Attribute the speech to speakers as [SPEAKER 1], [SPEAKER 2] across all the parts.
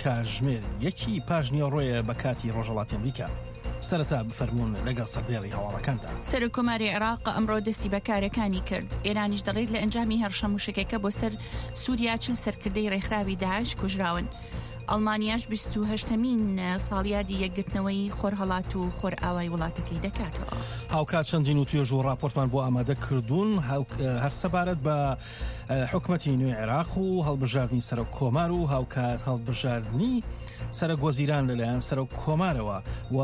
[SPEAKER 1] کاژمێر یەکی پاش نیوەڕۆیە بە کاتی ڕۆژهەڵاتی ئەمریکا. سەرەتا بفەرموون لەگەڵ سەردێڕی هەواڵەکاندا.
[SPEAKER 2] سەرۆک کۆماری عێراق ئەمڕۆ دەستی بە کارەکانی کرد. ئێرانیش دەڵێت لە ئەنجامی هێڕشە مووشەکەکە بۆ سەر سووریا 40 سەرکردەی ڕێکخراوی داعش کوژراون. ئەڵمانیاش 28مین ساڵیادی یەکگرتنەوەی خۆرهەڵات و خۆرئاوای وڵاتەکەی دەکاتەوە.
[SPEAKER 1] هاوکات چەندین وتوێژ و ڕاپۆرتمان بۆ ئامادە کردوون هەر سەبارەت بە حکومەتی نوێی عێراق و هەڵبژاردنی سەرۆک کۆمار و هاوکات هەڵبژاردنی سەرۆک وەزیران لەلایەن سەرۆک کۆمارەوە و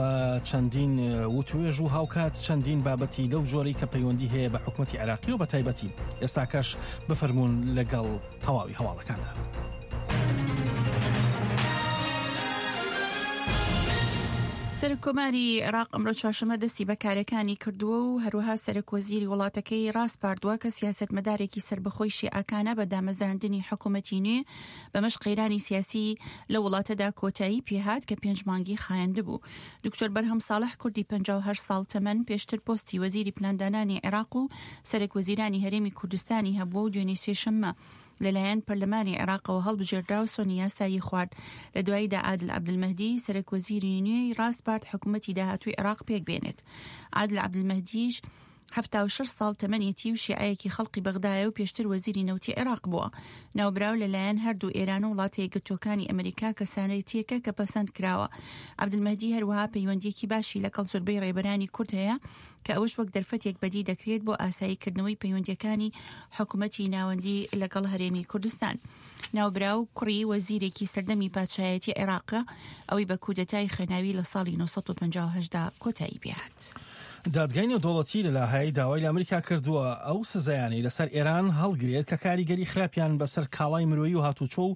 [SPEAKER 1] چەندین وتوێژ و هاوکات چەندین بابەتی لەو جۆرەی کە پەیوەندی هەیە بە حکومەتی عێراقی و بە تایبەتی ئێستاکەش بفەرمونون لەگەڵ تەواوی هەواڵەکاندا.
[SPEAKER 2] سەرۆککۆماری عێراق ئەمڕۆ چوارشەممە دەستی بە کارەکانی کردووە و هەروەها سەرۆکوەزیری وڵاتەکەی ڕاسپاردووە کە سیاسەتمەدارێکی سەربەخۆی شیعەکانە بە دامەزراندنی حکوومەتی نوێ، بەمەش قەیرانی سیاسی لە وڵاتەدا کۆتایی پێهات کە پێنج مانگی خایاندبوو. دکتۆر بەرهەم ساڵح کوردی 58 ساڵ تەمەن پێشتر پۆستی وەزیری پلاندانانی عێراق و سەرەکوەزیرانی هەرێمی کوردستانی هەبووە و دوێنێ سێشەممە لەلایەن پەرلەمانی عێراقەوە هەڵبژێردرا و سۆنی یاسایی خوارد. لە دواییدا عادل عەبدولمەهدی، سەرەکوەزیری نوێی ڕاسپارد حکوومەتی داهاتووی عێراق پێکبێنێت. عادل عەبدولمەهدیش 76 ساڵ تەمەنێتی و شیعەیەکی خەڵقی بەغدایە و پێشتر وەزیری نەوتی عێراق بووە. ناوبراو لەلایەن هەردوو ئێران و وڵاتە یەکگرتووەکانی ئەمریکا کەسانێتییەکە کە پەسەند کراوە. عەبدولمەهدی هەروەها پەیوەندییەکی باشی لەگەڵ زۆربەی ڕێبەرانی کورد هەیە کە ئەوەش وەک دەرفەتێک بەدی دەکرێت بۆ ئاساییکردنەوەی پەیوەندییەکانی حکومەتی ناوەندی لەگەڵ هەرێمی کوردستان. ناوبراو کوڕی وەزیرێکی سەردەمی پادشایەتی عێراقە، ئەوەی بە کودەتای خوێناوی لە ساڵی 958 دا کۆتایی پێهات.
[SPEAKER 1] دادگای نێودەوڵەتی لە لاهای داوای لە ئەمریکا کردووە ئەو سزایانەی لەسەر ئێران هەڵگرێت کە کاریگەری خراپیان بەسەر کاڵای مرۆیی و هاتوچۆ و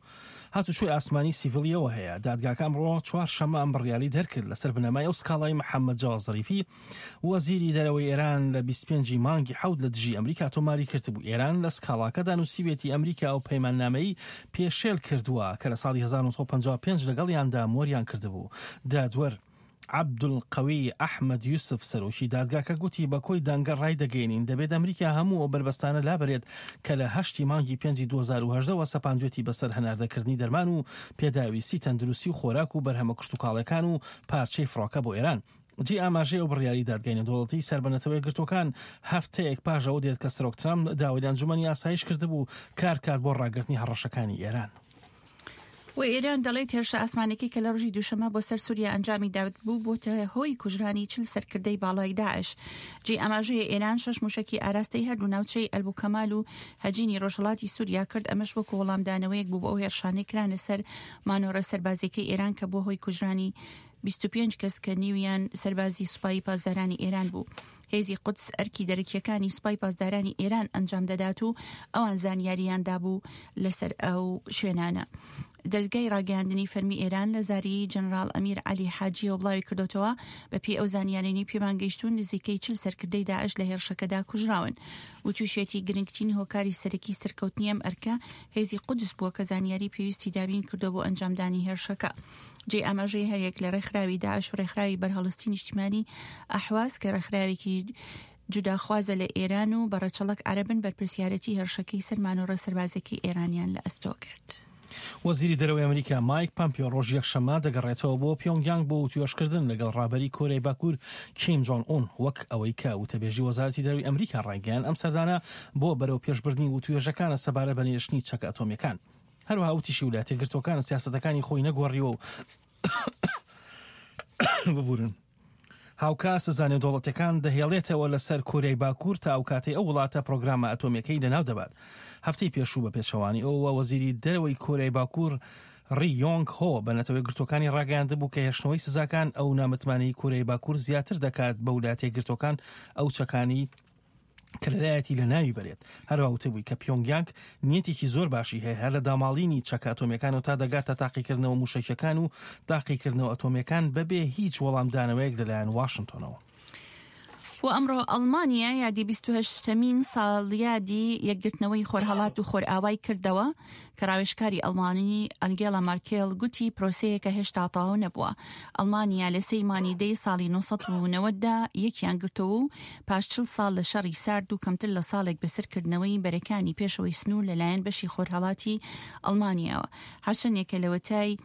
[SPEAKER 1] هاتوچۆی ئاسمانی سیڤیلیەوە هەیە. دادگاکە ئەمڕۆ چوارشەممە ئەم بڕیارەی دەرکرد لەسەر بنەمای ئەو سکاڵای محەممەد جەواد زەریفی وەزیری دەرەوەی ئێران لە 25 ی مانگی حەوت لە دژی ئەمریکا تۆماری کردبوو. ئێران لە سکاڵاکەدا نووسیویەتی ئەمریکا ئەو پەیماننامەی پێشێل کردووە کە لە ساڵی 1955 لەگەڵیاندا مۆریان کردبوو. دادوەر عەبدولقەوی ئەحمەد یوسف سەرۆکی دادگاکە گوتی بە کۆی دەنگە ڕایدەگەیەنین دەبێت ئەمریکا هەموو ئەو بەربەستانە لابەرێت کە لە هەشتی مانگی پێنجی 2018 وە سەپاندوێتی بەسەر هەناردەکردنی دەرمان و پێداویستی تەندروستی و خۆراک و بەرهەمە کشتوکاڵیەکان و پارچەی فڕۆکە بۆ ئێران. جێی ئاماژەیە ئەو بڕیاری دادگای نێودەوڵەتی سەر بە نەتەوە یەکگرتووەکان هەفتەیەک پاش ئەوە دێت کە سەرۆک ترەمپ داوای لە ئەنجومەنی ئاسایش کردبوو کار بکات بۆ ڕاگرتنی هەڕەشەکانی ئێران.
[SPEAKER 2] و ئێران دەڵێت هێرشە ئاسمانەکەی کە لە ڕۆژی دووشەمە بۆ سەر سووریا ئەنجامی داوت بوو بۆتە هۆی کوژرانی چل سەرکردەی باڵای داعش. جێی ئاماژەیە ئێران شەش موشەکی ئاراستەی هەردوو ناوچەی ئەلبوکەمال و هەجینی ڕۆژهەڵاتی سووریا کرد، ئەمەش وەکو وەڵامدانەوەیەک بوو بۆ ئەو هێرشانەی کرانە سەر مانۆڕە سەربازیەکەی ئێران کە بووە هۆی کوژرانی 25 کەس کە نیویان سەربازی سوپای پاسدارانی ئێران بوو. هێزی قودس ئەرکی دەرەکییەکانی سوپای پاسدارانی ئێران ئەنجام دەدات و ئەوان زانیارییان دابوو لەسەر ئەو شوێنانە. دەزگای ڕاگەیاندنی فەرمی ئێران لە زاری جەنراڵ ئەمیر عەلی حاجیەوە بڵاوی کردۆتەوە، بەپێی ئەو زانیارانەی پێمان گەیشتوون نزیکەی 40 سەرکردەی داعش لە هێرشەکەدا کوژراون. وتوشیەتی گرنگترین هۆکاری سەرەکی سەرکەوتنی ئەم ئەرکە هێزی قودس بووە کە زانیاری پێویستی دابین کردووە بۆ ئەنجامدانی هێرشەکە. جێی ئاماژەیە هەریەک لە ڕێکخراوی داعش و ڕێکخراوی بەرهەڵستی نیشتیمانی ئەحواز کە ڕێکخراوێکی جوداخوازە لە ئێران و بە ڕەچەڵەک عەرەبن بەرپرسیارەتی هێرشەکەی سەر مانۆڕە سەربازیەکەی ئێرانیان لە ئەستۆ گرت.
[SPEAKER 1] وەزیری دەرەوەی ئەمریکا مایک پەمپیۆ ڕۆژی یەکشەممە دەگەڕێتەوە بۆ پیۆنگیانگ بۆ وتوێژکردن لەگەڵ ڕابەری کۆریای باکوور کیم جۆن ئون، وەک ئەوەی کە وتەبێژی وەزارەتی دەرەوەی ئەمریکا ڕایگەیاند ئەم سەردانە بۆ بەرەو پێشبردنی وتوێژەکانە سەبارەت بە نێشتنی چەکە ئەتۆمییەکان. هەروەها وتیشی ولایەتە یەکگرتووەکان سیاسەتەکانی خۆی نەگۆڕیوە و ببورن هاوکات سزا نێودەوڵەتیەکان دەهێڵێتەوە لەسەر کۆریای باکوور تا ئەو کاتەی ئەو وڵاتە پرۆگرامە ئەتۆمیەکەی لەناو دەبات. هەفتەی پێشوو بە پێچەوانی ئەوەوە وەزیری دەرەوەی کۆریای باکوور ڕی یۆنگ هۆ بە نەتەوە یەکگرتووەکانی ڕاگەیاندبوو کە هێشتنەوەی سزاکان ئەو نامتمانەی کۆریای باکوور زیاتر دەکات بە ولایەتە یەکگرتووەکان ئەو چەکانی کە لەلایەتی لەناوی بەرێت. هەروەها وتبووی کە پیۆنگیانگ نیەتێکی زۆر باشی هەیە هەر لە داماڵینی چەکە ئەتۆمییەکانەوە تا دەگاتە تاقیکردنەوە مووشەکییەکان و تاقیکردنەوە ئەتۆمییەکان بەبێ هیچ وەڵامدانەوەیەک لەلایەن واشنتۆنەوە.
[SPEAKER 2] و ئەمڕۆ ئەڵمانیا یادی 28مین ساڵیادی یەکگرتنەوەی خۆرهەڵات و خۆرئاوای کردەوە کە ڕاوێژکاری ئەڵمانی ئەنگێلا مارکێل گوتی پرۆسەیەکە هێشتا تەواو نەبووە. ئەڵمانیا لە سێی مانی دەی ساڵی 990 دا یەکیان گرتەوە و پاش 40 ساڵ لە شەڕی سارد و کەمتر لە ساڵێک بەسەر کردنەوەی بەرەکانی پێشەوەی سنوور لەلایەن بەشی خۆرهەڵاتی ئەڵمانیاوە هەرچەندێکە لەوەتای.